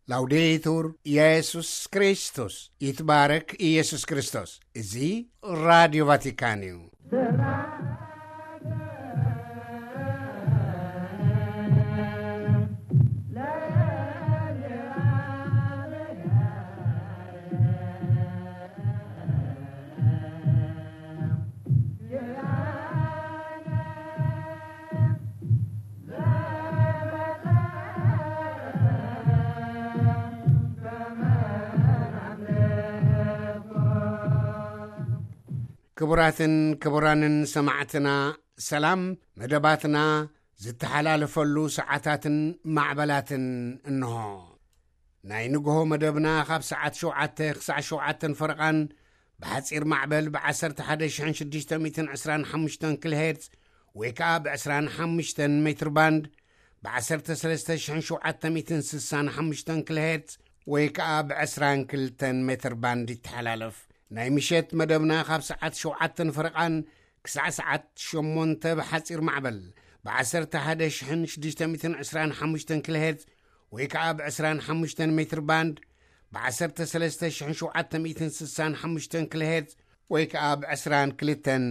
ላውዴቱር ኢየሱስ ክርስቶስ፣ ይትባረክ ኢየሱስ ክርስቶስ። እዚ ራዲዮ ቫቲካን እዩ። ክቡራትን ክቡራንን ሰማዕትና፣ ሰላም። መደባትና ዝተሓላለፈሉ ሰዓታትን ማዕበላትን እንሆ። ናይ ንግሆ መደብና ካብ ሰዓት ሸውዓተ ክሳዕ ሸውዓተን ፈረቓን ብሓጺር ማዕበል ብ11,625 ኪሎ ሄርትዝ ወይ ከኣ ብ25 ሜትር ባንድ ብ ዓሰርተ ሰለስተ ሽሕን ሸውዓተ ሚእትን ስሳን ሓሙሽተን ኪሎ ሄርትዝ ወይ ከኣ ብ ዕስራን ክልተን ሜትር ባንድ ይተሓላለፍ። ናይ ምሸት መደብና ካብ ሰዓት ሸውዓተን ፈረቓን ክሳዕ ሰዓት ሸሞንተ ብሓጺር ማዕበል ብ11,625 ኪሎ ሄርትዝ ወይ ከኣ ብ ዕስራን ሓሙሽተን ሜትር ባንድ ብ13,765 ኪሎ ሄርትዝ ወይ ከኣ ብ ዕስራን ክልተን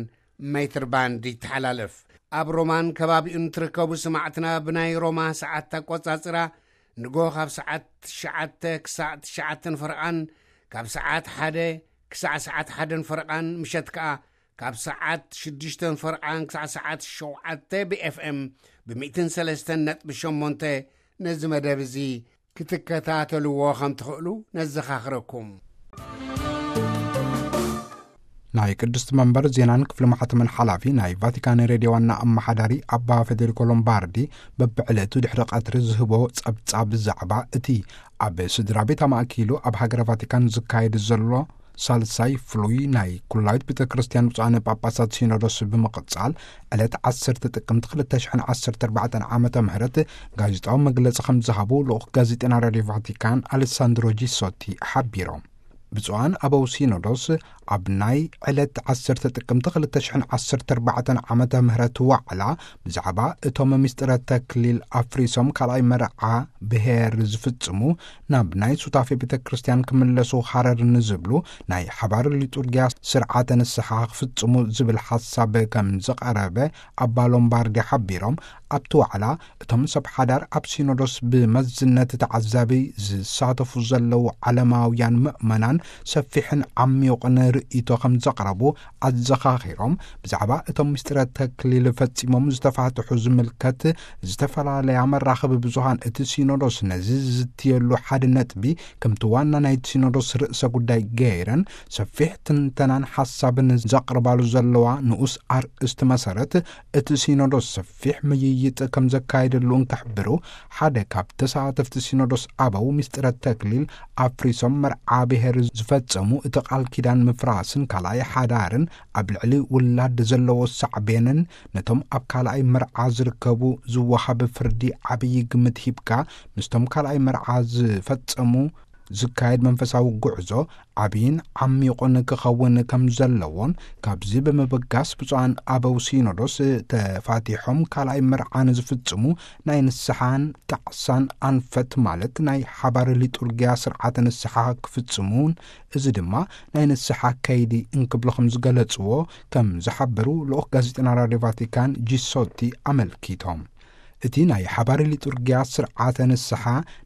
ሜትር ባንድ ይተሓላለፍ። ኣብ ሮማን ከባቢኡን ትርከቡ ሰማዕትና፣ ብናይ ሮማ ሰዓት ኣቆጻጽራ ንጎ ካብ ሰዓት ትሽዓተ ክሳዕ ትሽዓተን ፈረቓን፣ ካብ ሰዓት ሓደ ክሳዕ ሰዓት ሓደን ፈረቓን፣ ምሸት ከኣ ካብ ሰዓት ሽዱሽተን ፈረቓን ክሳዕ ሰዓት ሸውዓተ ብ ኤፍ ኤም ብ ሚእትን ሰለስተን ነጥቢ ሸሞንተ ነዚ መደብ እዚ ክትከታተልዎ ከም ትኽእሉ ነዘኻኽረኩም። ናይ ቅድስቲ መንበር ዜናን ክፍሊ ማሕተምን ሓላፊ ናይ ቫቲካን ሬድዮ ዋና ኣመሓዳሪ ኣባ ፌዴሪኮ ሎምባርዲ በብዕለቱ ድሕሪ ቀትሪ ዝህቦ ጸብጻብ ብዛዕባ እቲ ኣብ ስድራ ቤት ኣማእኪሉ ኣብ ሃገረ ቫቲካን ዝካየድ ዘሎ ሳልሳይ ፍሉይ ናይ ኩላዊት ቤተ ክርስቲያን ብፁዓነ ጳጳሳት ሲኖዶስ ብምቕጻል፣ ዕለት ዓሰርተ ጥቅምቲ ክልተ ሽሕን ዓሰርተ ኣርባዕተን ዓመተ ምህረት ጋዜጣዊ መግለጺ ከም ዝሃቡ ልኡኽ ጋዜጠና ራድዮ ቫቲካን ኣሌሳንድሮ ጂሶቲ ሓቢሮም። ብፁዓን ኣበው ሲኖዶስ ኣብ ናይ ዕለት ዓሰርተ ጥቅምቲ ክልተ ሽሕን ዓሰርተ ኣርባዕተን ዓመተ ምህረት ዋዕላ ብዛዕባ እቶም ምስጢረ ተክሊል ኣፍሪሶም ካልኣይ መርዓ ብሄር ዝፍጽሙ ናብ ናይ ሱታፌ ቤተ ክርስቲያን ክምለሱ ሃረር ንዝብሉ ናይ ሓባር ሊጡርጊያ ስርዓተ ንስሓ ክፍጽሙ ዝብል ሓሳብ ከም ዝቐረበ ኣባ ሎምባርዲ ሓቢሮም፣ ኣብቲ ዋዕላ እቶም ሰብ ሓዳር ኣብ ሲኖዶስ ብመዝነት ተዓዛቢ ዝሳተፉ ዘለዉ ዓለማውያን ምእመናን ሰፊሕን ዓሚቑን ርእይቶ ከም ዘቕረቡ ኣዘኻኺሮም፣ ብዛዕባ እቶም ምስጢረ ተክሊል ፈጺሞም ዝተፋትሑ ዝምልከት ዝተፈላለያ መራኸቢ ብዙሃን እቲ ሲኖዶስ ነዚ ዝዝትየሉ ሓደ ነጥቢ ከምቲ ዋና ናይቲ ሲኖዶስ ርእሰ ጉዳይ ገይረን ሰፊሕ ትንተናን ሓሳብን ዘቕርባሉ ዘለዋ ንኡስ ኣርእስቲ መሰረት፣ እቲ ሲኖዶስ ሰፊሕ ምይይጥ ከም ዘካየደሉ እንክሕብሩ፣ ሓደ ካብ ተሳተፍቲ ሲኖዶስ ኣበው ምስጢረ ተክሊል ኣፍሪሶም መርዓ ብሔር ዝፈጸሙ እቲ ቃል ኪዳን ምፍራስን ካልኣይ ሓዳርን ኣብ ልዕሊ ውላድ ዘለዎ ሳዕቤንን ነቶም ኣብ ካልኣይ መርዓ ዝርከቡ ዝወሃብ ፍርዲ ዓብዪ ግምት ሂብካ፣ ምስቶም ካልኣይ መርዓ ዝፈጸሙ ዝካየድ መንፈሳዊ ጉዕዞ ዓብይን ዓሚቑን ክኸውን ከም ዘለዎን፣ ካብዚ ብምብጋስ ብፁዓን ኣበው ሲኖዶስ ተፋቲሖም ካልኣይ መርዓ ንዝፍጽሙ ናይ ንስሓን ጣዕሳን ኣንፈት፣ ማለት ናይ ሓባር ሊጡርጊያ ስርዓተ ንስሓ ክፍጽሙን፣ እዚ ድማ ናይ ንስሓ ከይዲ እንክብሉ ከም ዝገለጽዎ ከም ዝሓበሩ ልኡኽ ጋዜጠና ራድዮ ቫቲካን ጂሶቲ ኣመልኪቶም። እቲ ናይ ሓባር ሊጡርጊያ ስርዓተ ንስሓ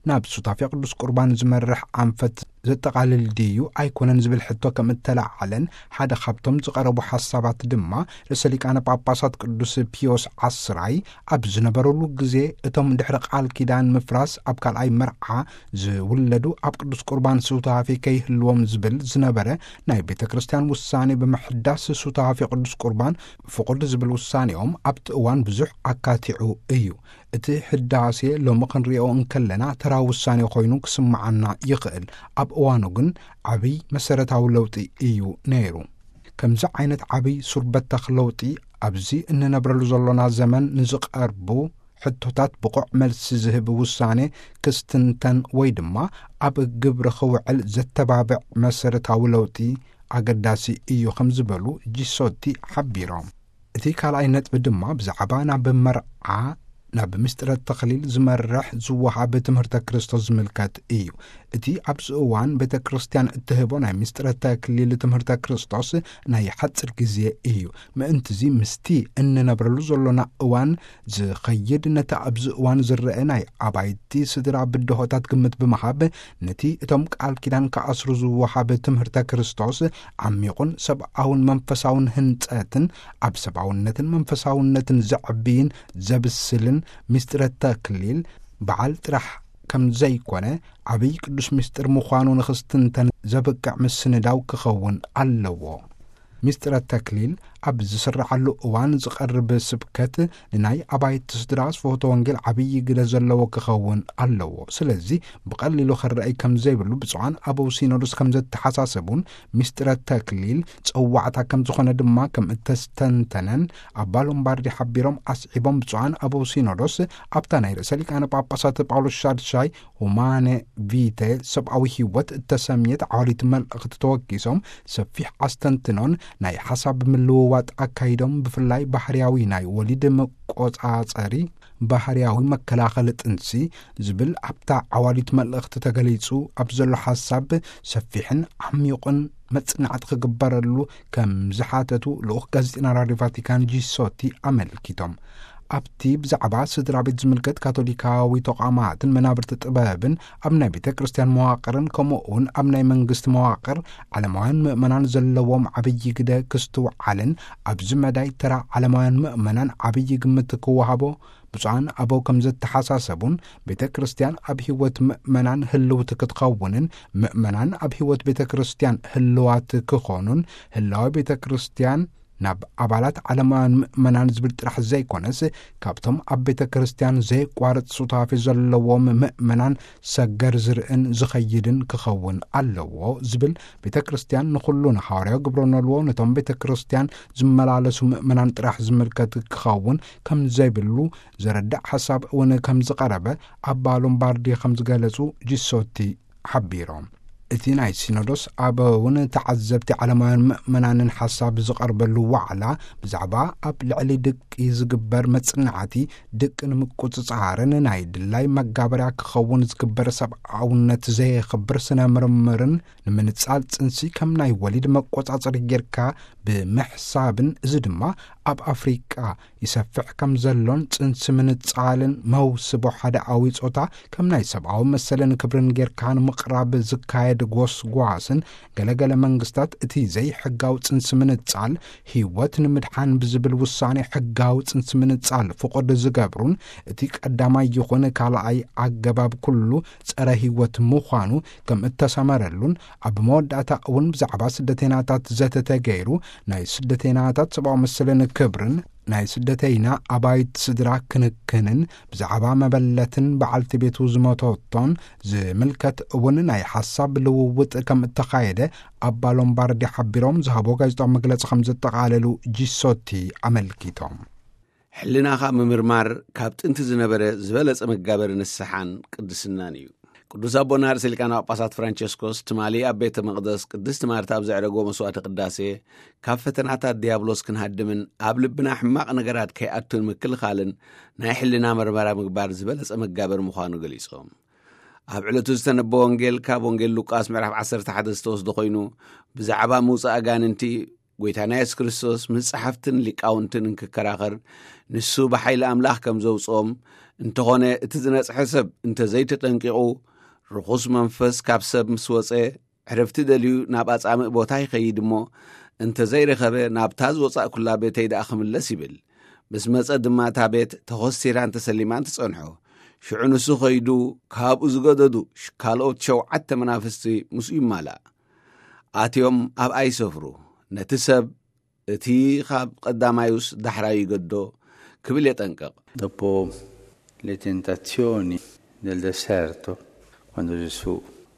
ናብ ሱታፌ ቅዱስ ቁርባን ዝመርሕ ኣንፈት ዘጠቓልል ድዩ ኣይኮነን ዝብል ሕቶ ከም እተለዓለን፣ ሓደ ካብቶም ዝቐረቡ ሓሳባት ድማ ርእሰ ሊቃነ ጳጳሳት ቅዱስ ፒዮስ ዓስራይ ኣብ ዝነበረሉ ግዜ፣ እቶም ድሕሪ ቃል ኪዳን ምፍራስ ኣብ ካልኣይ መርዓ ዝውለዱ ኣብ ቅዱስ ቁርባን ሱታፌ ከይህልዎም ዝብል ዝነበረ ናይ ቤተ ክርስቲያን ውሳኔ ብምሕዳስ፣ ሱታፌ ቅዱስ ቁርባን ፍቑድ ዝብል ውሳኔኦም ኣብቲ እዋን ብዙሕ ኣካቲዑ እዩ። እቲ ሕዳሴ ሎሚ ክንሪኦ እንከለና ተራ ውሳኔ ኮይኑ ክስምዓና ይኽእል። ኣብ እዋኑ ግን ዓብይ መሰረታዊ ለውጢ እዩ ነይሩ። ከምዚ ዓይነት ዓብይ ሱር በተኽ ለውጢ ኣብዚ እንነብረሉ ዘሎና ዘመን ንዝቐርቡ ሕቶታት ብቑዕ መልሲ ዝህብ ውሳኔ ክስትንተን ወይ ድማ ኣብ ግብሪ ክውዕል ዘተባብዕ መሰረታዊ ለውጢ ኣገዳሲ እዩ ከም ዝበሉ ጂሶቲ ሓቢሮም። እቲ ካልኣይ ነጥቢ ድማ ብዛዕባ ናብ መርዓ ናብ ምስጢረ ተኽሊል ዝመርሕ ዝወሃብ ትምህርተ ክርስቶስ ዝምልከት እዩ። እቲ ኣብዚ እዋን ቤተ ክርስቲያን እትህቦ ናይ ምስጢረ ተክሊል ትምህርተ ክርስቶስ ናይ ሓጺር ግዜ እዩ። ምእንትዚ ምስቲ እንነብረሉ ዘሎና እዋን ዝኸይድ፣ ነቲ ኣብዚ እዋን ዝረአ ናይ ኣባይቲ ስድራ ብድሆታት ግምት ብምሃብ፣ ነቲ እቶም ቃል ኪዳን ክኣስሩ ዝወሃብ ትምህርተ ክርስቶስ ዓሚቑን ሰብኣውን መንፈሳውን ህንጸትን ኣብ ሰብኣውነትን መንፈሳውነትን ዘዕብይን ዘብስልን ምስጢረ ተክሊል በዓል ጥራሕ ከም ዘይኮነ፣ ዓብይ ቅዱስ ምስጢር ምዃኑ ንኽስትንተን ዘብቅዕ ምስንዳው ክኸውን ኣለዎ። ምስጢረ ተክሊል ኣብ ዝስረዓሉ እዋን ዝቐርብ ስብከት ንናይ ኣባይቲ ስድራ ስፍሆተ ወንጌል ዓብይ ግደ ዘለዎ ክኸውን ኣለዎ። ስለዚ ብቐሊሉ ክረኣይ ከም ዘይብሉ ብፁዓን ኣበው ሲኖዶስ ከም ዘተሓሳሰቡን፣ ምስጢረ ተክሊል ጸዋዕታ ከም ዝኾነ ድማ ከም እተስተንተነን ኣባ ሎምባርዲ ሓቢሮም ኣስዒቦም፣ ብፁዓን ኣበው ሲኖዶስ ኣብታ ናይ ርእሰ ሊቃነ ጳጳሳት ጳውሎስ ሻድሻይ ሁማነ ቪተ፣ ሰብኣዊ ህይወት እተሰምየት ዓዋሊት መልእኽቲ ተወኪሶም ሰፊሕ ኣስተንትኖን ናይ ሓሳብ ምልውዋጥ ኣካይዶም፣ ብፍላይ ባህርያዊ ናይ ወሊድ መቆጻጸሪ፣ ባህርያዊ መከላኸሊ ጥንሲ ዝብል ኣብታ ዓዋሊት መልእኽቲ ተገሊጹ ኣብ ዘሎ ሓሳብ ሰፊሕን ዓሚቑን መጽናዕቲ ክግበረሉ ከም ዝሓተቱ ልኡኽ ጋዜጠና ራድዮ ቫቲካን ጂሶቲ ኣመልኪቶም። ኣብቲ ብዛዕባ ስድራ ቤት ዝምልከት ካቶሊካዊ ተቋማትን መናብርቲ ጥበብን ኣብ ናይ ቤተ ክርስቲያን መዋቕርን ከምኡ እውን ኣብ ናይ መንግስቲ መዋቕር ዓለማውያን ምእመናን ዘለዎም ዓብዪ ግደ ክስትውዓልን ኣብዚ መዳይ ተራ ዓለማውያን ምእመናን ዓብዪ ግምት ክወሃቦ ብፁዓን ኣበው ከም ዘተሓሳሰቡን፣ ቤተ ክርስቲያን ኣብ ህይወት ምእመናን ህልውቲ ክትኸውንን ምእመናን ኣብ ህይወት ቤተ ክርስቲያን ህልዋት ክኾኑን፣ ህላዊ ቤተ ክርስቲያን ናብ ኣባላት ዓለማውያን ምእመናን ዝብል ጥራሕ ዘይኮነስ፣ ካብቶም ኣብ ቤተ ክርስቲያን ዘየቋርጽ ሱታፌ ዘለዎም ምእመናን ሰገር ዝርእን ዝኸይድን ክኸውን ኣለዎ ዝብል፣ ቤተ ክርስቲያን ንኹሉ ንሃዋርያዊ ግብረ ኖልዎ፣ ነቶም ቤተ ክርስቲያን ዝመላለሱ ምእመናን ጥራሕ ዝምልከት ክኸውን ከም ዘይብሉ ዘረድእ ሓሳብ እውን ከም ዝቐረበ ኣባ ሎምባርዲ ከም ዝገለጹ ጂሶቲ ሓቢሮም። እቲ ናይ ሲኖዶስ ኣበውን ተዓዘብቲ ዓለማውያን ምእመናንን ሓሳብ ዝቐርበሉ ዋዕላ ብዛዕባ ኣብ ልዕሊ ድቂ ዝግበር መጽናዕቲ፣ ድቂ ንምቁጽጻርን ናይ ድላይ መጋበርያ ክኸውን ዝግበር ሰብኣውነት ዘየኽብር ስነ ምርምርን፣ ንምንጻል ጽንሲ ከም ናይ ወሊድ መቆጻጸሪ ጌርካ ብምሕሳብን፣ እዚ ድማ ኣብ ኣፍሪቃ ይሰፍሕ ከም ዘሎን ጽንሲ ምንጻልን መውስቦ ሓደ ኣዊ ጾታ ከም ናይ ሰብኣዊ መሰልን ክብርን ጌርካ ንምቕራብ ዝካየድ ጎስጓስን፣ ገለገለ መንግስታት እቲ ዘይሕጋዊ ጽንሲ ምንጻል ህይወት ንምድሓን ብዝብል ውሳኔ ሕጋዊ ጽንሲ ምንጻል ፍቑድ ዝገብሩን፣ እቲ ቀዳማይ ይኹን ካልኣይ ኣገባብ ኩሉ ጸረ ህይወት ምዃኑ ከም እተሰመረሉን፣ ኣብ መወዳእታ እውን ብዛዕባ ስደተይናታት ዘተ ተገይሩ፣ ናይ ስደተይናታት ሰብኣዊ መሰልን ክብርን፣ ናይ ስደተይና ኣባይት ስድራ ክንክንን፣ ብዛዕባ መበለትን በዓልቲ ቤቱ ዝመተቶን ዝምልከት እውን ናይ ሓሳብ ልውውጥ ከም እተኻየደ ኣባ ሎምባርዲ ሓቢሮም፣ ዝሃቦ ጋዜጣዊ መግለጺ ከም ዘጠቓለሉ ጂሶቲ ኣመልኪቶም። ሕልናኻ ምምርማር ካብ ጥንቲ ዝነበረ ዝበለጸ መጋበሪ ንስሓን ቅድስናን እዩ። ቅዱስ ኣቦና ርእሰ ሊቃነ ጳጳሳት ፍራንቸስኮስ ትማሊ ኣብ ቤተ መቕደስ ቅድስቲ ማርታ ኣብ ዘዕረጎ መስዋዕተ ቅዳሴ፣ ካብ ፈተናታት ዲያብሎስ ክንሃድምን ኣብ ልብና ሕማቕ ነገራት ከይኣቱን ምክልኻልን ናይ ሕልና መርመራ ምግባር ዝበለጸ መጋበሪ ምዃኑ ገሊጾም። ኣብ ዕለቱ ዝተነበ ወንጌል ካብ ወንጌል ሉቃስ ምዕራፍ ዓሰርተ ሓደ ዝተወስደ ኮይኑ፣ ብዛዕባ ምውጻእ ኣጋንንቲ ጎይታና የሱስ ክርስቶስ ምስ ጸሓፍትን ሊቃውንትን እንክከራኸር፣ ንሱ ብሓይሊ ኣምላኽ ከም ዘውጽኦም፣ እንተኾነ እቲ ዝነጽሐ ሰብ እንተ ዘይተጠንቂቑ፣ ርኹስ መንፈስ ካብ ሰብ ምስ ወጸ፣ ዕረፍቲ ደልዩ ናብ ኣጻምእ ቦታ ይኸይድ እሞ፣ እንተ ዘይረኸበ፣ ናብታ ዝወጻእኩላ ቤተይ ደኣ ክምለስ ይብል። ምስ መጸ ድማ እታ ቤት ተኾሲራን ተሰሊማን ትጸንሖ። ሽዑ ንሱ ኸይዱ፣ ካብኡ ዝገደዱ ሽ-፣ ካልኦት ሸውዓተ መናፍስቲ ምስኡ ይማላእ። ኣትዮም ኣብኣ ይሰፍሩ። ነቲ ሰብ እቲ ኻብ ቐዳማዩስ ዳሕራዩ ይገዶ ክብል የጠንቅቕ። Dopo le tentazioni del deserto, quando Gesù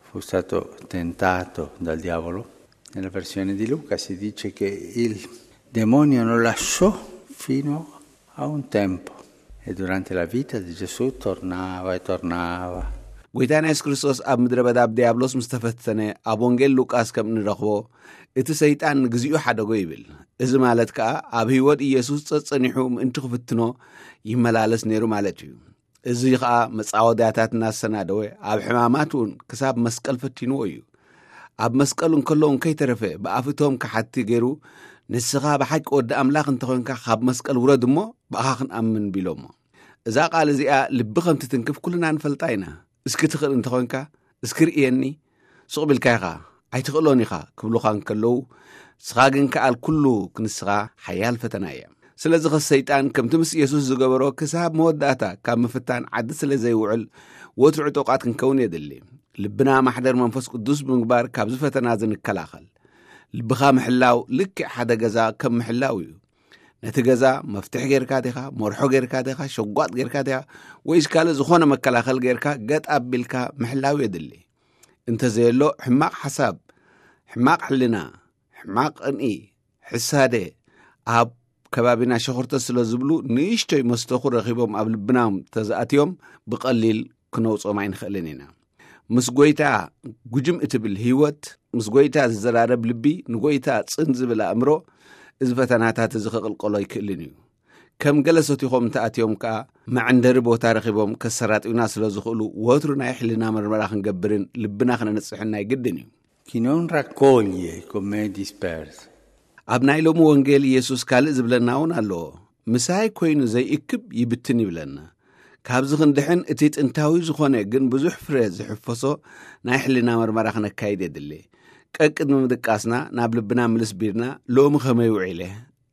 fu stato tentato dal diavolo, nella versione di Luca si dice che il demonio lo lasciò fino a un tempo, e durante la vita di Gesù tornava e tornava. ጎይታና የሱስ ክርስቶስ ኣብ ምድረ በዳ ብድያብሎስ ምስ ተፈተነ፣ ኣብ ወንጌል ሉቃስ ከም እንረኽቦ፣ እቲ ሰይጣን ንግዚኡ ሓደጎ ይብል። እዚ ማለት ከኣ፣ ኣብ ህይወት ኢየሱስ ጸጸኒሑ ምእንቲ ክፍትኖ ይመላለስ ነይሩ ማለት እዩ። እዚ ኸኣ መጻወድያታት እናሰናደወ፣ ኣብ ሕማማት እውን ክሳብ መስቀል ፈቲንዎ እዩ። ኣብ መስቀል እንከሎ እውን ከይተረፈ፣ ብኣፍቶም ከሓቲ ገይሩ፣ "ንስኻ ብሓቂ ወዲ ኣምላኽ እንተኾንካ፣ ካብ መስቀል ውረድ እሞ ብኣኻ ክንኣምን" ቢሎሞ። እዛ ቃል እዚኣ ልቢ ከም ትትንክፍ ኩልና ንፈልጣ ኢና። "እስኪ ትኽእል እንተኾንካ፣ እስኪ ርእየኒ፣ ስቕ ቢልካ ኢኻ፣ ኣይትኽእሎን ኢኻ" ክብሉኻ እንከለዉ፣ ንስኻ ግን ከኣል ኩሉ ክንስኻ ሓያል ፈተና እያ። ስለዚ ኸስ ሰይጣን ከምቲ ምስ ኢየሱስ ዝገበሮ ክሳብ መወዳእታ ካብ ምፍታን ዓዲ ስለ ዘይውዕል፣ ወትሩ ዕጡቓት ክንከውን የድሊ። ልብና ማሕደር መንፈስ ቅዱስ ብምግባር ካብዚ ፈተና እዚ ንከላኸል። ልብኻ ምሕላው ልክዕ ሓደ ገዛ ከም ምሕላው እዩ። ነቲ ገዛ መፍትሕ ጌርካ ዲኻ፣ መርሖ ጌርካ ዲኻ፣ ሸጓጥ ጌርካ ዲኻ፣ ወይስ ካልእ ዝኾነ መከላኸል ጌርካ ገጥ ኣቢልካ ምሕላው የድሊ። እንተዘየሎ ሕማቕ ሓሳብ፣ ሕማቕ ሕልና፣ ሕማቕ ቅንኢ፣ ሕሳደ ኣብ ከባቢና ሸኾርተት ስለ ዝብሉ ንእሽቶይ መስተኹ ረኺቦም ኣብ ልብናም ተዝኣትዮም ብቐሊል ክነውጾም ኣይንኽእልን ኢና። ምስ ጎይታ ጉጅም እትብል ህይወት፣ ምስ ጎይታ ዝዘራረብ ልቢ፣ ንጎይታ ጽን ዝብል ኣእምሮ፣ እዚ ፈተናታት እዚ ክቕልቀሎ ኣይክእልን እዩ። ከም ገለ ሰቲኾም እንተኣትዮም ከኣ መዐንደሪ ቦታ ረኺቦም ከሰራጥዩና ስለ ዝኽእሉ ወትሩ ናይ ሕልና መርመራ ክንገብርን ልብና ክነንጽሕን ናይ ግድን እዩ። Chi non raccoglie con me è disperso. ኣብ ናይ ሎሚ ወንጌል ኢየሱስ ካልእ ዝብለና እውን ኣለዎ። "ምሳይ ኮይኑ ዘይእክብ ይብትን" ይብለና። ካብዚ ክንድሕን እቲ ጥንታዊ ዝኾነ ግን ብዙሕ ፍረ ዝሕፈሶ ናይ ሕልና መርመራ ክነካይድ የድሊ። ቀቅድሚ ምድቃስና ናብ ልብና ምልስ ቢልና፣ "ሎሚ ከመይ ውዒለ?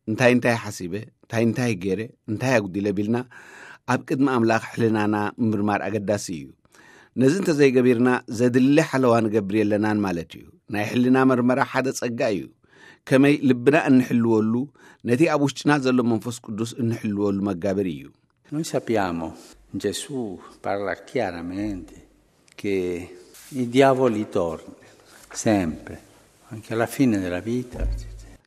እንታይ እንታይ ሓሲበ? እንታይ እንታይ ገይረ? እንታይ ኣጉዲለ?" ቢልና ኣብ ቅድሚ ኣምላኽ ሕልናና ምምርማር ኣገዳሲ እዩ። ነዚ እንተዘይገቢርና ዘድሊ ሓለዋ ንገብር የለናን ማለት እዩ። ናይ ሕልና መርመራ ሓደ ጸጋ እዩ። ከመይ ልብና እንሕልወሉ፣ ነቲ ኣብ ውሽጥና ዘሎ መንፈስ ቅዱስ እንሕልወሉ መጋበሪ እዩ። Noi sappiamo, Gesù parla chiaramente che i diavoli tornano sempre, anche alla fine della vita.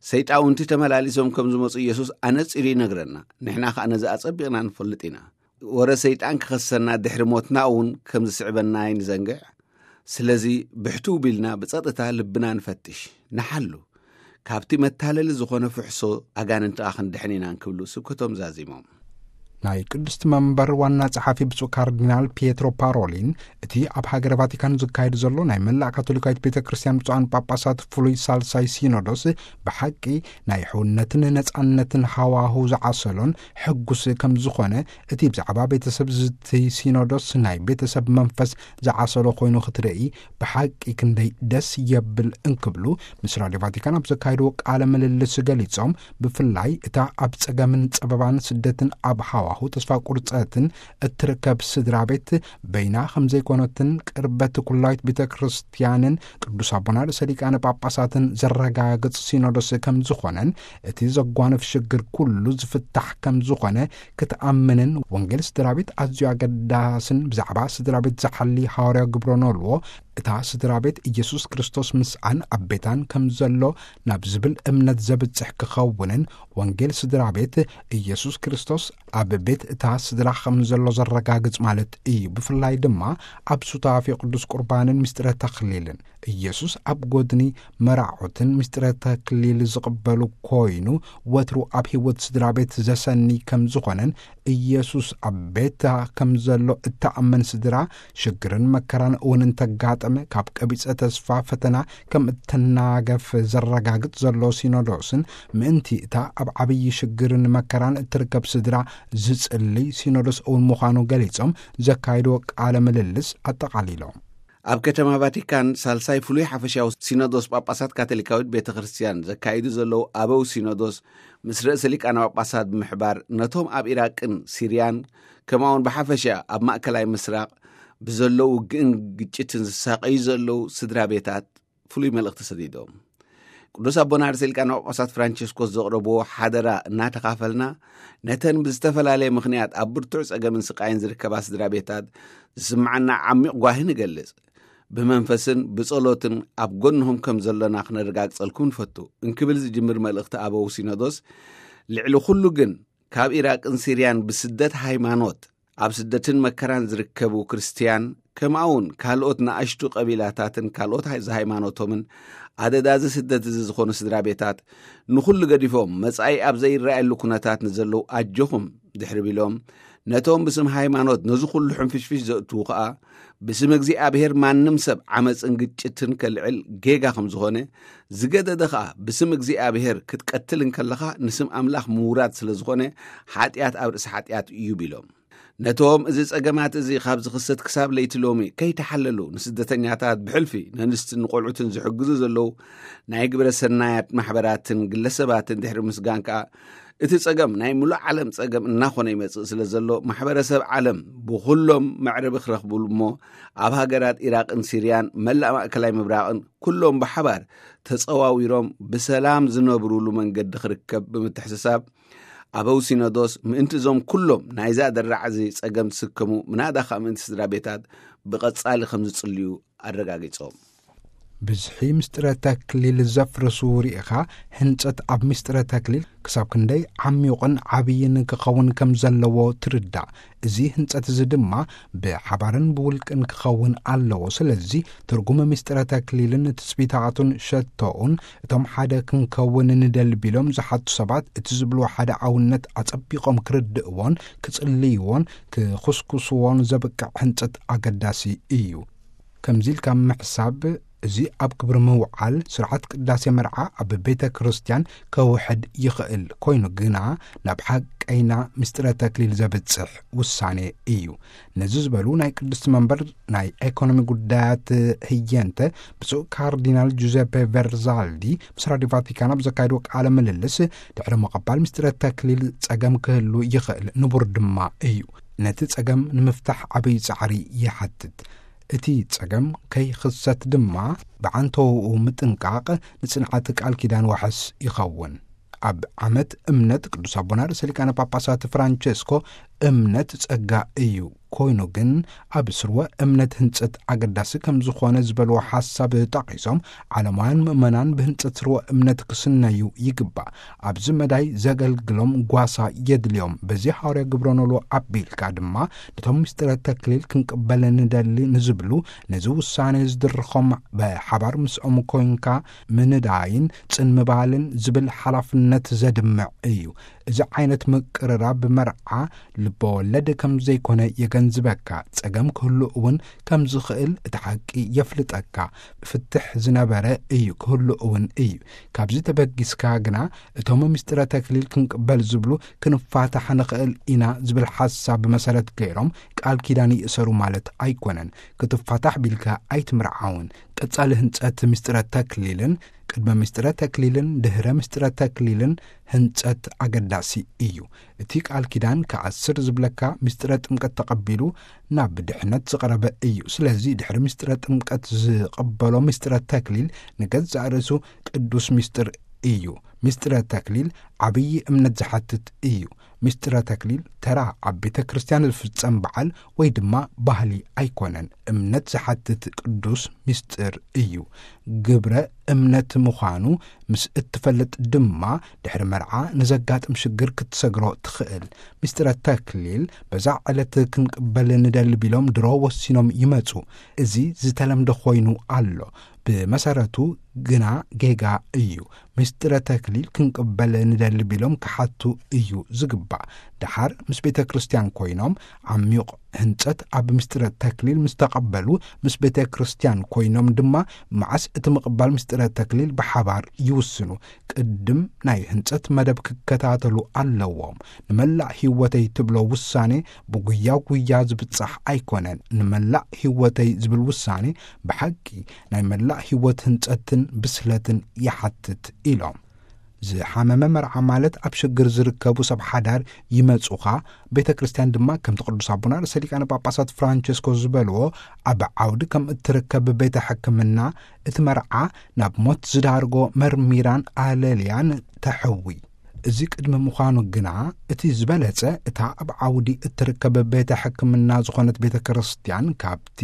ሰይጣውንቲ ተመላሊሶም ከም ዝመጹ ኢየሱስ ኣነጺሩ ይነግረና። ንሕና ከኣ ነዚ ኣጸቢቕና ንፈልጥ ኢና። ወረ ሰይጣን ክኸሰና ድሕሪ ሞትና እውን ከም ዝስዕበና ኣይንዘንግዕ። ስለዚ ብሕትው ቢልና ብጸጥታ ልብና ንፈትሽ፣ ንሓሉ። ካብቲ መታለሊ ዝኾነ ፍሕሶ ኣጋንንቲ ከኣ ክንድሕን ኢና እንክብሉ ስብከቶም ዛዚሞም። ናይ ቅድስቲ መንበር ዋና ጸሓፊ ብፁዕ ካርዲናል ፒየትሮ ፓሮሊን፣ እቲ ኣብ ሃገረ ቫቲካን ዝካየድ ዘሎ ናይ መላእ ካቶሊካዊት ቤተ ክርስቲያን ብፁዓን ጳጳሳት ፍሉይ ሳልሳይ ሲኖዶስ ብሓቂ ናይ ሕውነትን ነጻነትን ሃዋሁ ዝዓሰሎን ሕጉስ ከም ዝኾነ፣ እቲ ብዛዕባ ቤተሰብ ዝዝቲ ሲኖዶስ ናይ ቤተሰብ መንፈስ ዝዓሰሎ ኮይኑ ክትርኢ ብሓቂ ክንደይ ደስ የብል እንክብሉ ምስ ራድዮ ቫቲካን ኣብ ዘካየድዎ ቃለ ምልልስ ገሊጾም፣ ብፍላይ እታ ኣብ ጸገምን ጸበባን ስደትን ኣብ ሃዋሁ ተስፋ ቁርጸትን እትርከብ ስድራ ቤት በይና ከም ዘይኮነትን ቅርበት ኩላዊት ቤተ ክርስቲያንን ቅዱስ ኣቦና ርእሰ ሊቃነ ጳጳሳትን ዘረጋግጽ ሲኖዶስ ከም ዝኾነን፣ እቲ ዘጓንፍ ሽግር ኩሉ ዝፍታሕ ከም ዝኾነ ክትኣምንን፣ ወንጌል ስድራ ቤት ኣዝዩ ኣገዳስን ብዛዕባ ስድራ ቤት ዝሓሊ ሃዋርያዊ ግብረ ኖልዎ፣ እታ ስድራ ቤት ኢየሱስ ክርስቶስ ምስኣን ኣብ ቤታን ከም ዘሎ ናብ ዝብል እምነት ዘብጽሕ ክኸውንን፣ ወንጌል ስድራ ቤት ኢየሱስ ክርስቶስ ኣብ ቤት እታ ስድራ ከም ዘሎ ዘረጋግጽ ማለት እዩ። ብፍላይ ድማ ኣብ ሱታፌ ቅዱስ ቁርባንን ምስጢረ ተኽሊልን ኢየሱስ ኣብ ጎድኒ መራዖትን ምስጢረ ተክሊል ዝቕበሉ ኮይኑ፣ ወትሩ ኣብ ህይወት ስድራ ቤት ዘሰኒ ከም ዝኾነን፣ ኢየሱስ ኣብ ቤታ ከም ዘሎ እተኣምን ስድራ፣ ሽግርን መከራን እውን እንተጋጠመ፣ ካብ ቀቢጸ ተስፋ ፈተና ከም እተናገፍ ዘረጋግጽ ዘሎ ሲኖዶስን፣ ምእንቲ እታ ኣብ ዓብዪ ሽግርን መከራን እትርከብ ስድራ ዝጽልይ ሲኖዶስ እውን ምዃኑ ገሊጾም፣ ዘካየድዎ ቃለ ምልልስ ኣጠቓሊሎም። ኣብ ከተማ ቫቲካን ሳልሳይ ፍሉይ ሓፈሻዊ ሲኖዶስ ጳጳሳት ካቶሊካዊት ቤተ ክርስቲያን ዘካይዱ ዘለዉ ኣበው ሲኖዶስ፣ ምስ ርእሰ ሊቃነ ጳጳሳት ብምሕባር፣ ነቶም ኣብ ኢራቅን ሲርያን፣ ከምኡውን ብሓፈሻ ኣብ ማእከላይ ምስራቕ ብዘሎ ውግእን ግጭትን ዝሳቐዩ ዘለዉ ስድራ ቤታት ፍሉይ መልእኽቲ ሰዲዶም። ቅዱስ ኣቦና ርእሰ ሊቃነ ጳጳሳት ፍራንቸስኮስ ዘቕረብዎ ሓደራ እናተኻፈልና፣ ነተን ብዝተፈላለየ ምኽንያት ኣብ ብርቱዕ ጸገምን ስቓይን ዝርከባ ስድራ ቤታት ዝስምዓና ዓሚቕ ጓሂ ንገልጽ። ብመንፈስን ብጸሎትን ኣብ ጎንኹም ከም ዘሎና ክነረጋግጸልኩም ንፈቱ እንክብል ዝጅምር መልእኽቲ ኣበው ሲኖዶስ፣ ልዕሊ ኩሉ ግን ካብ ኢራቅን ሲርያን ብስደት ሃይማኖት ኣብ ስደትን መከራን ዝርከቡ ክርስትያን ከምኡ እውን ካልኦት ንኣሽቱ ቀቢላታትን ካልኦት ሃይ-፣ ዝሃይማኖቶምን ኣደዳ እዚ ስደት እዚ ዝኾኑ ስድራ ቤታት ንኹሉ ገዲፎም መጻኢ ኣብ ዘይረኣየሉ ኩነታት ንዘለዉ ኣጆኹም ድሕሪ ቢሎም፣ ነቶም ብስም ሃይማኖት ነዚ ኩሉ ሕንፍሽፍሽ ዘእትዉ ኸኣ ብስም እግዚኣብሔር ማንም ሰብ ዓመፅን ግጭትን ከልዕል ጌጋ ከም ዝኾነ፣ ዝገደደ ኸኣ ብስም እግዚኣብሔር ክትቀትል እንከለኻ ንስም ኣምላኽ ምውራድ ስለ ዝኾነ ሓጢኣት ኣብ ርእሲ ሓጢኣት እዩ ቢሎም። ነቶም እዚ ጸገማት እዚ ካብ ዝኽሰት ክሳብ ለይቲ ሎሚ ከይተሓለሉ ንስደተኛታት ብሕልፊ ነንስትን ንቖልዑትን ዝሕግዙ ዘለዉ ናይ ግብረ ሰናያት ማሕበራትን ግለሰባትን ድሕሪ ምስጋን ከኣ፣ እቲ ጸገም ናይ ምሉእ ዓለም ጸገም እናኾነ ይመጽእ ስለ ዘሎ፣ ማሕበረሰብ ዓለም ብኹሎም መዕረቢ ክረኽብሉ እሞ፣ ኣብ ሃገራት ኢራቕን ሲርያን መላእ ማእከላይ ምብራቕን ኩሎም ብሓባር ተጸዋዊሮም ብሰላም ዝነብሩሉ መንገዲ ክርከብ ብምትሕስሳብ፣ ኣበው ሲኖዶስ ምእንቲ እዞም ኩሎም ናይዛ ደራዕ እዚ ጸገም ዝስከሙ፣ ምናዳ ኸኣ ምእንቲ ስድራ ቤታት ብቐጻሊ ከም ዝጽልዩ ኣረጋጊጾም። ብዝሒ ምስጢረ ተክሊል ዘፍርሱ ርኢኻ፣ ህንጸት ኣብ ምስጢረ ተክሊል ክሳብ ክንደይ ዓሚቑን ዓብይን ክኸውን ከም ዘለዎ ትርዳእ። እዚ ህንጸት እዚ ድማ ብሓባርን ብውልቅን ክኸውን ኣለዎ። ስለዚ ትርጉም ምስጢረ ተክሊልን ትጽቢታቱን ሸቶኡን፣ እቶም ሓደ ክንከውን ንደሊ ቢሎም ዝሓቱ ሰባት እቲ ዝብልዎ ሓደ ኣውነት ኣጸቢቖም ክርድእዎን ክጽልይዎን ክኹስኩስዎን ዘብቅዕ ህንጸት ኣገዳሲ እዩ። ከምዚ ኢልካ ምሕሳብ፣ እዚ ኣብ ግብሪ ምውዓል ስርዓት ቅዳሴ መርዓ ኣብ ቤተ ክርስቲያን ከውሕድ ይኽእል። ኮይኑ ግና ናብ ሓቀይና ምስጢረ ተክሊል ዘብጽሕ ውሳኔ እዩ። ነዚ ዝበሉ ናይ ቅድስቲ መንበር ናይ ኤኮኖሚ ጉዳያት ህየንተ ብፁዕ ካርዲናል ጁዘፔ ቨርዛልዲ ምስ ራዲዮ ቫቲካን ኣብ ዘካየድዎ ቃለ ምልልስ፣ ድሕሪ ምቕባል ምስጢረ ተክሊል ጸገም ክህሉ ይኽእል፣ ንቡር ድማ እዩ። ነቲ ጸገም ንምፍታሕ ዓብዪ ጻዕሪ ይሓትት። እቲ ጸገም ከይኽሰት ድማ ብዓንተውኡ ምጥንቃቕ ንጽንዓት ቃል ኪዳን ዋሕስ ይኸውን። ኣብ ዓመት እምነት ቅዱስ ኣቦና ርእሰ ሊቃነ ጳጳሳት ፍራንቸስኮ፣ እምነት ጸጋ እዩ፣ ኮይኑ ግን ኣብ ስርወ እምነት ህንጸት ኣገዳሲ ከም ዝኾነ ዝበልዎ ሓሳብ ጠቒሶም፣ ዓለማውያን ምእመናን ብህንጸት ስርወ እምነት ክስነዩ ይግባእ። ኣብዚ መዳይ ዘገልግሎም ጓሳ የድልዮም። በዚ ሃዋርያ ግብረ ኖልዎ ኣቢልካ ድማ ነቶም ምስጢረ ተክሊል ክንቅበል ንደሊ ንዝብሉ፣ ነዚ ውሳኔ ዝድርኾም ብሓባር ምስኦም ኮይንካ ምንዳይን ጽን ምባልን ዝብል ሓላፍነት ዘድምዕ እዩ። እዚ ዓይነት ምቅርራብ መርዓ ልበወለድ ከም ዘይኮነ የገንዝበካ። ጸገም ክህሉ እውን ከም ዝኽእል እቲ ሓቂ የፍልጠካ። ፍትሕ ዝነበረ እዩ፣ ክህሉ እውን እዩ። ካብዚ ተበጊስካ ግና እቶም ምስጢረ ተክሊል ክንቅበል ዝብሉ ክንፋታሕ ንኽእል ኢና ዝብል ሓሳብ መሰረት ገይሮም ቃል ኪዳን ይእሰሩ ማለት ኣይኮነን። ክትፋታሕ ቢልካ ኣይትምርዓውን። ቀጻሊ ህንጸት ምስጢረ ተክሊልን ቅድመ ምስጢረ ተክሊልን ድህረ ምስጢረ ተክሊልን ህንጸት ኣገዳሲ እዩ። እቲ ቃል ኪዳን ክኣስር ዝብለካ ምስጢረ ጥምቀት ተቐቢሉ ናብ ድሕነት ዝቐረበ እዩ። ስለዚ ድሕሪ ምስጢረ ጥምቀት ዝቐበሎ ምስጢረ ተክሊል ንገዛእ ርእሱ ቅዱስ ምስጢር እዩ። ምስጢረ ተክሊል ዓብዪ እምነት ዝሓትት እዩ። ምስጢረ ተክሊል ተራ ኣብ ቤተ ክርስቲያን ዝፍጸም በዓል ወይ ድማ ባህሊ ኣይኮነን። እምነት ዝሓትት ቅዱስ ምስጢር እዩ። ግብረ እምነት ምዃኑ ምስ እትፈልጥ ድማ ድሕሪ መርዓ ንዘጋጥም ሽግር ክትሰግሮ ትኽእል። ምስጢረ ተክሊል በዛ ዕለት ክንቅበል ንደሊ ቢሎም ድሮ ወሲኖም ይመጹ። እዚ ዝተለምደ ኮይኑ ኣሎ። ብመሰረቱ ግና ጌጋ እዩ። ምስጢረ ተክሊል ክንቅበል ንደሊ ቢሎም ክሓቱ እዩ ዝግባእ። ደሓር ምስ ቤተ ክርስቲያን ኮይኖም ዓሚቕ ህንጸት ኣብ ምስጢረ ተክሊል ምስ ተቐበሉ፣ ምስ ቤተ ክርስቲያን ኮይኖም ድማ መዓስ እቲ ምቕባል ምስጢረ ተክሊል ብሓባር ይውስኑ። ቅድም ናይ ህንጸት መደብ ክከታተሉ ኣለዎም። ንመላእ ህይወተይ ትብሎ ውሳኔ ብጉያ ጉያ ዝብጻሕ ኣይኮነን። ንመላእ ህይወተይ ዝብል ውሳኔ ብሓቂ ናይ መላእ ህይወት ህንጸትን ብስለትን ይሓትት ኢሎም። ዝሓመመ መርዓ ማለት ኣብ ሽግር ዝርከቡ ሰብ ሓዳር ይመጹኻ። ቤተ ክርስቲያን ድማ ከምቲ ቅዱስ ኣቦና ርእሰ ሊቃነ ጳጳሳት ፍራንቸስኮ ዝበልዎ፣ ኣብ ዓውዲ ከም እትርከብ ቤተ ሕክምና እቲ መርዓ ናብ ሞት ዝዳርጎ መርሚራን ኣለልያን ተሕዊ። እዚ ቅድሚ ምዃኑ ግና እቲ ዝበለጸ እታ ኣብ ዓውዲ እትርከብ ቤተ ሕክምና ዝኾነት ቤተ ክርስቲያን ካብቲ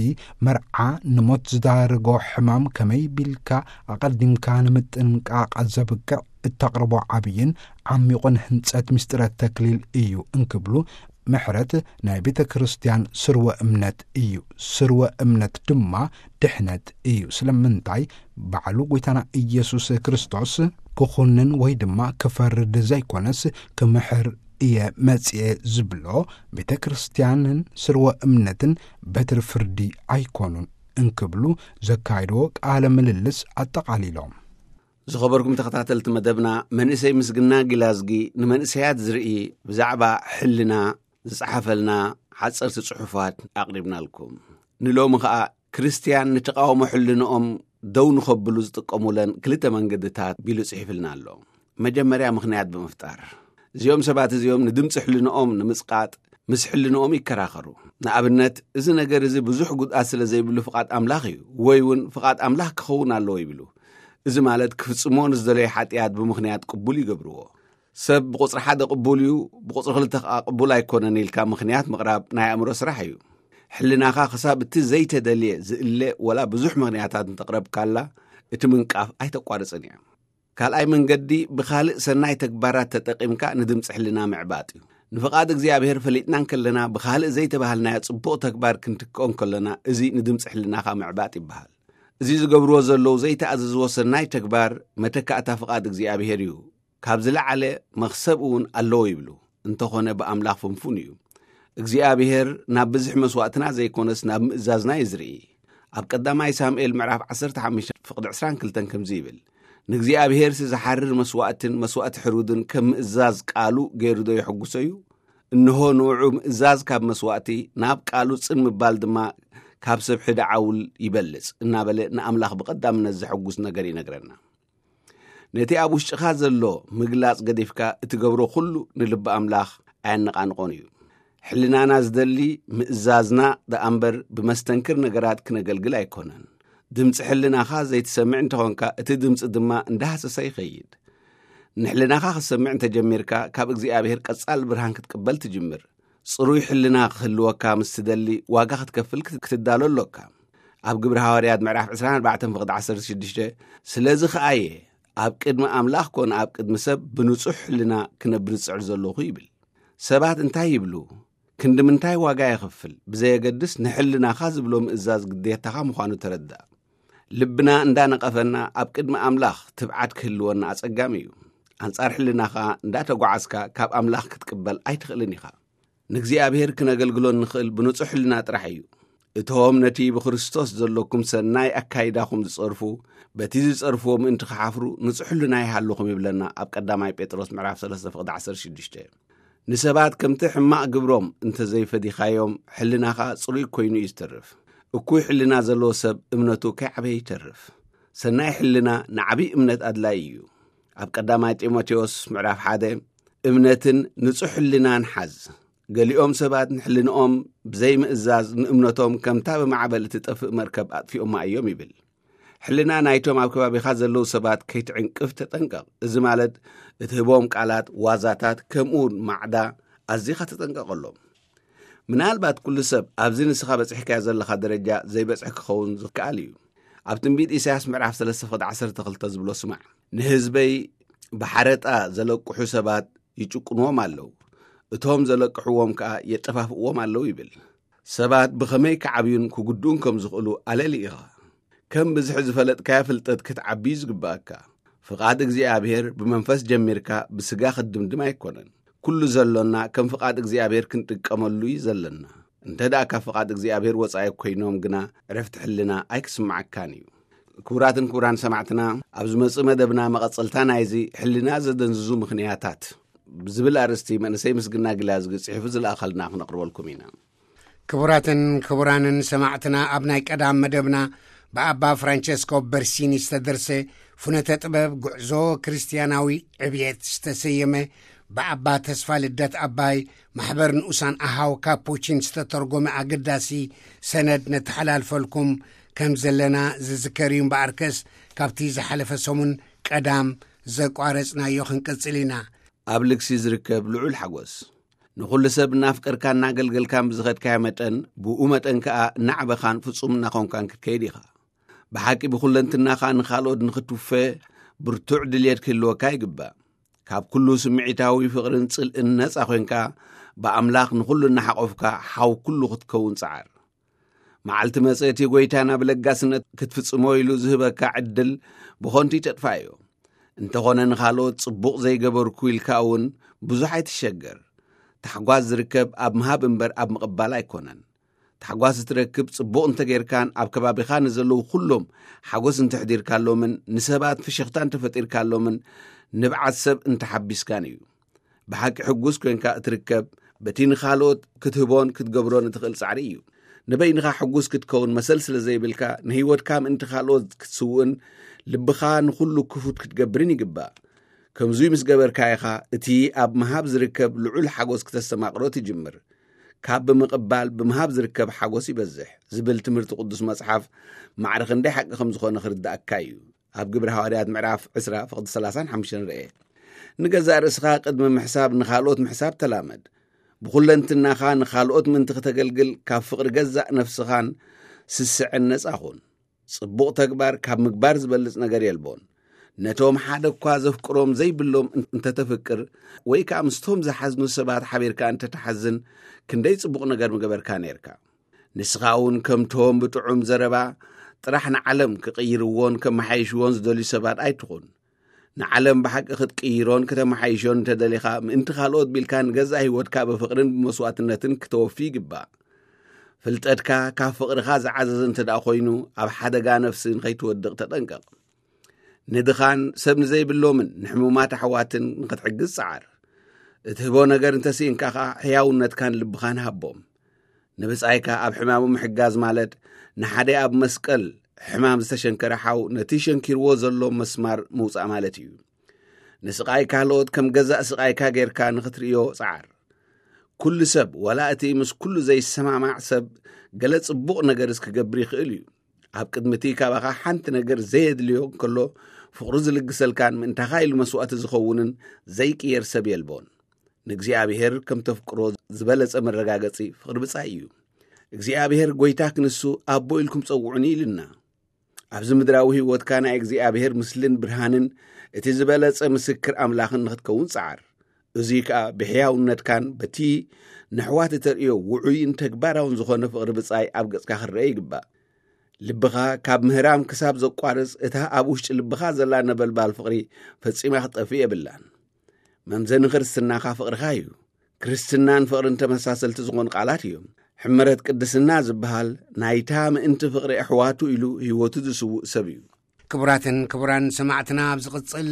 መርዓ ንሞት ዝዳርጎ ሕማም ከመይ ቢልካ ኣቐዲምካ ንምጥንቃቕ ዘብቅዕ እተቕርቦ ዓብይን ዓሚቑን ህንጸት ምስጢረ ተክሊል እዩ እንክብሉ ምሕረት ናይ ቤተ ክርስቲያን ስርወ እምነት እዩ። ስርወ እምነት ድማ ድሕነት እዩ። ስለምንታይ? ባዕሉ ጐይታና ኢየሱስ ክርስቶስ ክኹንን ወይ ድማ ክፈርድ ዘይኮነስ፣ ክምሕር እየ መጽኤ ዝብሎ፣ ቤተ ክርስቲያንን ስርወ እምነትን በትሪ ፍርዲ ኣይኮኑን እንክብሉ ዘካየድዎ ቃለ ምልልስ ኣጠቓሊሎም። ዝኸበርኩም ተኸታተልቲ መደብና፣ መንእሰይ ምስግና ጊላዝጊ ንመንእሰያት ዝርኢ ብዛዕባ ሕልና ዝጸሓፈልና ሓጸርቲ ጽሑፋት ኣቕሪብናልኩም። ንሎሚ ኸኣ ክርስትያን ንተቓውሞ ሕልንኦም ደው ንኸብሉ ዝጥቀሙለን ክልተ መንገድታት ቢሉ ጽሒፍልና ኣሎ። መጀመርያ ምኽንያት ብምፍጣር፣ እዚኦም ሰባት እዚኦም ንድምፂ ሕልንኦም ንምጽቃጥ ምስ ሕልንኦም ይከራኸሩ። ንኣብነት፣ እዚ ነገር እዚ ብዙሕ ጉድኣት ስለ ዘይብሉ ፍቓድ ኣምላኽ እዩ፣ ወይ እውን ፍቓድ ኣምላኽ ክኸውን ኣለዎ ይብሉ። እዚ ማለት ክፍጽሞ ንዝደለዩ ሓጢኣት ብምኽንያት ቅቡል ይገብርዎ። ሰብ ብቁጽሪ ሓደ ቅቡል እዩ፣ ብቁጽሪ ክልተ ከኣ ቅቡል ኣይኮነን ኢልካ ምኽንያት ምቕራብ ናይ ኣእምሮ ስራሕ እዩ። ሕልናኻ ክሳብ እቲ ዘይተደልየ ዝእለ ወላ ብዙሕ ምኽንያታት እንተቕረብካላ፣ እቲ ምንቃፍ ኣይተቋርጽን እያ። ካልኣይ መንገዲ ብኻልእ ሰናይ ተግባራት ተጠቒምካ ንድምፂ ሕልና ምዕባጥ እዩ። ንፍቓድ እግዚኣብሔር ፈሊጥና እንከለና ብኻልእ ዘይተባህልናዮ ጽቡቕ ተግባር ክንትክኦ እንከለና፣ እዚ ንድምፂ ሕልናኻ ምዕባጥ ይበሃል። እዚ ዝገብርዎ ዘለዉ ዘይተኣዘዝዎ ሰናይ ተግባር መተካእታ ፍቓድ እግዚኣብሔር እዩ። ካብ ዝለዓለ መኽሰብ እውን ኣለዎ ይብሉ። እንተኾነ ብኣምላኽ ፍንፉን እዩ። እግዚኣብሔር ናብ ብዝሒ መስዋእትና ዘይኮነስ ናብ ምእዛዝና እዩ ዝርኢ። ኣብ ቀዳማይ ሳሙኤል ምዕራፍ ዓሰርተ ሓሙሽተ ፍቕዲ ዕስራን ክልተን ከምዚ ይብል፣ "ንእግዚኣብሔርሲ ዝሓርር መስዋእትን መስዋእቲ ሕሩድን ከም ምእዛዝ ቃሉ ገይሩ ዶ የሐጉሶ እዩ? እንሆ ንውዑ ምእዛዝ ካብ መስዋእቲ፣ ናብ ቃሉ ጽን ምባል ድማ ካብ ሰብ ሕደ ዓውል ይበልጽ" እናበለ ንኣምላኽ ብቐዳምነት ዘሐጉስ ነገር ይነግረና። ነቲ ኣብ ውሽጥኻ ዘሎ ምግላጽ ገዲፍካ እትገብሮ ኩሉ ንልቢ ኣምላኽ ኣየነቓንቖን እዩ። ሕልናና ዝደሊ ምእዛዝና ደኣ እምበር ብመስተንክር ነገራት ክነገልግል ኣይኮነን። ድምፂ ሕልናኻ ዘይትሰምዕ እንተኾንካ እቲ ድምፂ ድማ እንዳሃሰሰ ይኸይድ። ንሕልናኻ ክትሰምዕ እንተጀሚርካ ካብ እግዚኣብሔር ቀጻል ብርሃን ክትቅበል ትጅምር። ጽሩይ ሕልና ክህልወካ ምስ ትደሊ ዋጋ ክትከፍል ክት-፣ ክትዳሎ ኣሎካ። ኣብ ግብሪ ሃዋርያት ምዕራፍ ዕስራን ኣርባዕተን ፍቕዲ ዓሰርተ ሽዱሽተ፣ "ስለዚ ኸኣ እየ ኣብ ቅድሚ ኣምላኽ ኮነ ኣብ ቅድሚ ሰብ ብንጹሕ ሕልና ክነብር ዝጽዕር ዘለኹ" ይብል። ሰባት እንታይ ይብሉ፣ ክንዲ ምንታይ ዋጋ የኽፍል ብዘየገድስ ንሕልናኻ ዝብሎ ምእዛዝ ግዴታኻ ምዃኑ ተረዳእ። ልብና እንዳነቐፈና ኣብ ቅድሚ ኣምላኽ ትብዓት ክህልወና ኣጸጋሚ እዩ። ኣንጻር ሕልናኻ እንዳተጓዓዝካ ካብ ኣምላኽ ክትቅበል ኣይትኽእልን ኢኻ። ንእግዚኣብሔር ክነገልግሎ እንኽእል ብንጹሕ ሕልና ጥራሕ እዩ። እቶም ነቲ ብክርስቶስ ዘሎኩም ሰናይ ኣካይዳኹም ዝጸርፉ፣ በቲ ዝጸርፍዎ ምእንቲ ክሓፍሩ ንጹሕ ሕልና ይሃልኹም ይብለና ኣብ ቀዳማይ ጴጥሮስ ምዕራፍ ሰለስተ ፍቕዲ ዓሰርተ ሽዱሽተ። ንሰባት ከምቲ ሕማቕ ግብሮም እንተ ዘይፈዲኻዮም፣ ሕልናኻ ጽሩይ ኮይኑ እዩ ዝተርፍ። እኩይ ሕልና ዘለዎ ሰብ እምነቱ ከይዓበየ ይተርፍ። ሰናይ ሕልና ንዓብዪ እምነት ኣድላዪ እዩ። ኣብ ቀዳማይ ጢሞቴዎስ ምዕራፍ ሓደ፣ "እምነትን ንጹሕ ሕልናን ሓዝ። ገሊኦም ሰባት ንሕልንኦም ብዘይምእዛዝ ንእምነቶም ከምታ ብማዕበል እትጠፍእ መርከብ ኣጥፊኦማ እዮም" ይብል። ሕልና ናይቶም ኣብ ከባቢኻ ዘለዉ ሰባት ከይትዕንቅፍ ተጠንቀቕ። እዚ ማለት እትህቦም ቃላት፣ ዋዛታት፣ ከምኡውን ማዕዳ ኣዚኻ ተጠንቀቐሎም። ምናልባት ኩሉ ሰብ ኣብዚ ንስኻ በጺሕካዮ ዘለኻ ደረጃ ዘይበጽሐ ክኸውን ዝከኣል እዩ። ኣብ ትንቢት ኢሳያስ ምዕራፍ ሰለስተ ፍቕዲ ዓሰርተ ክልተ ዝብሎ ስማዕ፣ "ንህዝበይ ብሓረጣ ዘለቅሑ ሰባት ይጭቁንዎም ኣለዉ፣ እቶም ዘለቅሕዎም ከኣ የጠፋፍእዎም ኣለዉ" ይብል። ሰባት ብኸመይ ክዓብዩን ክጉድኡን ከም ዝኽእሉ ኣለሊ ኢኻ። ከም ብዝሒ ዝፈለጥካዮ ፍልጠት ክትዓቢ እዩ ዝግብኣካ። ፍቓድ እግዚኣብሔር ብመንፈስ ጀሚርካ ብስጋ ክትድምድም ኣይኮነን። ኩሉ ዘሎና ከም ፍቓድ እግዚኣብሔር ክንጥቀመሉ እዩ ዘለና። እንተ ደኣ ካብ ፍቓድ እግዚኣብሔር ወጻኢ ኮይኖም ግና ዕረፍቲ ሕልና ኣይክስምዓካን እዩ። ክቡራትን ክቡራን ሰማዕትና፣ ኣብ ዝመጽእ መደብና መቐጸልታ ናይዚ ሕልና ዘደንዝዙ ምኽንያታት ብዝብል ኣርእስቲ መንእሰይ ምስግና ግላዝጊ ጽሒፉ ዝለኣኸልና ክነቕርበልኩም ኢና። ክቡራትን ክቡራንን ሰማዕትና፣ ኣብ ናይ ቀዳም መደብና ብኣባ ፍራንቸስኮ በርሲኒ ዝተደርሰ ፍኖተ ጥበብ ጉዕዞ ክርስትያናዊ ዕብየት ዝተሰየመ፣ ብኣባ ተስፋ ልደት ኣባይ ማሕበር ንኡሳን ኣሃው ካፑቺን ዝተተርጎመ ኣገዳሲ ሰነድ ነተሓላልፈልኩም ከም ዘለና ዝዝከር እዩ። እምበኣርከስ፣ ካብቲ ዝሓለፈ ሰሙን ቀዳም ዘቋረጽናዮ ክንቅጽል ኢና። ኣብ ልግሲ ዝርከብ ልዑል ሓጎስ። ንኹሉ ሰብ እናፍቀርካን እናገልገልካን ብዝኸድካዮ መጠን፣ ብኡ መጠን ከኣ እናዕበኻን ፍጹም እናኾንካን ክትከይድ ኢኻ። ብሓቂ ብኹለንትናኻ ንኻልኦት ንኽትውፈ ብርቱዕ ድልየት ክህልወካ ይግባእ። ካብ ኩሉ ስምዒታዊ ፍቕርን ጽልእን ነጻ ኮይንካ፣ ብኣምላኽ ንኹሉ እናሓቖፍካ ሓው ኩሉ ክትከውን ጸዓር። መዓልቲ መጸ እቲ ጐይታ ናብ ለጋስነት ክትፍጽሞ ኢሉ ዝህበካ ዕድል ብኾንቱ ይተጥፋዮ። እንተኾነ ንኻልኦት ጽቡቕ ዘይገበርኩ ኢልካ እውን ብዙሕ ኣይትሸገር። ታሕጓስ ዝርከብ ኣብ ምሃብ እምበር ኣብ ምቕባል ኣይኮነን። ታሕጓስ እትረክብ ጽቡቕ እንተጌርካን ኣብ ከባቢኻ ንዘለዉ ኩሎም ሓጎስ እንተሕዲርካሎምን ንሰባት ፍሽኽታ እንተፈጢርካሎምን ንብዓት ሰብ እንተሓቢስካን እዩ። ብሓቂ ሕጉስ ኮይንካ እትርከብ በቲ ንኻልኦት ክትህቦን ክትገብሮን እትኽእል ጻዕሪ እዩ። ንበይንኻ ሕጉስ ክትከውን መሰል ስለ ዘይብልካ ንህይወትካ ምእንቲ ካልኦት ክትስውእን ልብኻ ንኹሉ ክፉት ክትገብርን ይግባእ። ከምዙይ ምስ ገበርካ ኢኻ እቲ ኣብ ምሃብ ዝርከብ ልዑል ሓጎስ ክተስተማቕሮ ትጅምር። ካብ ብምቕባል ብምሃብ ዝርከብ ሓጎስ ይበዝሕ ዝብል ትምህርቲ ቅዱስ መጽሓፍ ማዕረ ክንደይ ሓቂ ከም ዝኾነ ክርድኣካ እዩ። ኣብ ግብሪ ሃዋርያት ምዕራፍ ዕስራ ፍቕዲ ሰላሳን ሓሙሽተን ርኤ። ንገዛእ ርእስኻ ቅድሚ ምሕሳብ ንኻልኦት ምሕሳብ ተላመድ። ብኹለንትናኻ ንኻልኦት ምእንቲ ክተገልግል ካብ ፍቕሪ ገዛእ ነፍስኻን ስስዐን ነጻ ኹን። ጽቡቕ ተግባር ካብ ምግባር ዝበልጽ ነገር የልቦን። ነቶም ሓደ እኳ ዘፍቅሮም ዘይብሎም እንተተፍቅር ወይ ከኣ ምስቶም ዝሓዝኑ ሰባት ሓቢርካ እንተተሓዝን ክንደይ ጽቡቕ ነገር ምገበርካ ነርካ። ንስኻ እውን ከምቶም ብጥዑም ዘረባ ጥራሕ ንዓለም ክቕይርዎን ከመሓይሽዎን ዝደልዩ ሰባት ኣይትኹን። ንዓለም ብሓቂ ክትቅይሮን ከተመሓይሾን እንተደሊኻ ምእንቲ ካልኦት ቢልካ ንገዛእ ህይወትካ ብፍቕርን ብመስዋዕትነትን ክተወፊ ይግባእ። ፍልጠትካ ካብ ፍቕርኻ ዝዓዘዘ እንተ ደኣ ኮይኑ ኣብ ሓደጋ ነፍሲ ንኸይትወድቕ ተጠንቀቕ። ንድኻን ሰብ ንዘይብሎምን ንሕሙማት ኣሕዋትን ንኽትሕግዝ ጸዓር። እትህቦ ነገር እንተስኢንካ ኸዓ ሕያውነትካን ልብኻን ሃቦም። ንብጻይካ ኣብ ሕማሙ ምሕጋዝ ማለት ንሓደ ኣብ መስቀል ሕማም ዝተሸንከረ ሓው ነቲ ሸንኪርዎ ዘሎ መስማር ምውጻእ ማለት እዩ። ንስቓይ ካልኦት ከም ገዛእ ስቓይካ ጌርካ ንኽትርእዮ ጸዓር። ኩሉ ሰብ ዋላ እቲ ምስ ኩሉ ዘይሰማማዕ ሰብ ገለ ጽቡቕ ነገርስ ክገብር ይኽእል እዩ። ኣብ ቅድሚ እቲ ካባኻ ሓንቲ ነገር ዘየድልዮ እንከሎ ፍቕሩ ዝልግሰልካን ምእንታኻ ኢሉ መስዋእቲ ዝኸውንን ዘይቅየር ሰብ የልቦን። ንእግዚኣብሔር ከም ተፍቅሮ ዝበለጸ መረጋገጺ ፍቕሪ ብጻይ እዩ። እግዚኣብሔር ጐይታ ክንሱ ኣቦ ኢልኩም ጸውዑኒ ኢልና። ኣብዚ ምድራዊ ህይወትካ ናይ እግዚኣብሔር ምስልን ብርሃንን እቲ ዝበለጸ ምስክር ኣምላኽን ንኽትከውን ጸዓር። እዙይ ከኣ ብሕያውነትካን በቲ ንሕዋት እተርእዮ ውዑይን ተግባራውን ዝኾነ ፍቕሪ ብጻይ ኣብ ገጽካ ክረአ ይግባእ። ልብኻ ካብ ምህራም ክሳብ ዘቋርጽ እታ ኣብ ውሽጢ ልብኻ ዘላ ነበልባል ፍቕሪ ፈጺማ ክትጠፍእ የብላን። መምዘኒ ክርስትናኻ ፍቕርኻ እዩ። ክርስትናን ፍቕርን ተመሳሰልቲ ዝኾኑ ቃላት እዮም። ሕመረት ቅድስና ዝበሃል ናይታ ምእንቲ ፍቕሪ ኣሕዋቱ ኢሉ ህይወቱ ዝስውእ ሰብ እዩ። ክቡራትን ክቡራን ሰማዕትና፣ ኣብ ዝቕጽል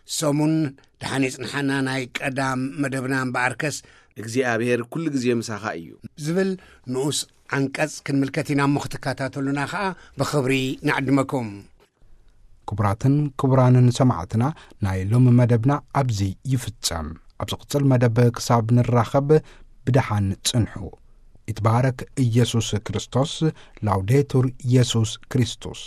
ሰሙን ደሓን ይጽንሓና ናይ ቀዳም መደብና እምበኣርከስ እግዚኣብሔር ኩሉ ግዜ ምሳኻ እዩ። ዝብል ንኡስ ዓንቀጽ ክንምልከት ኢና እሞ ክትከታተሉና ኸኣ ብኽብሪ ንዕድመኩም። ክቡራትን ክቡራንን ሰማዕትና፣ ናይ ሎሚ መደብና ኣብዚ ይፍጸም። ኣብ ዝቕጽል መደብ ክሳብ ንራኸብ ብደሓን ጽንሑ። ይትባረክ ኢየሱስ ክርስቶስ። ላውዴቱር ኢየሱስ ክርስቶስ።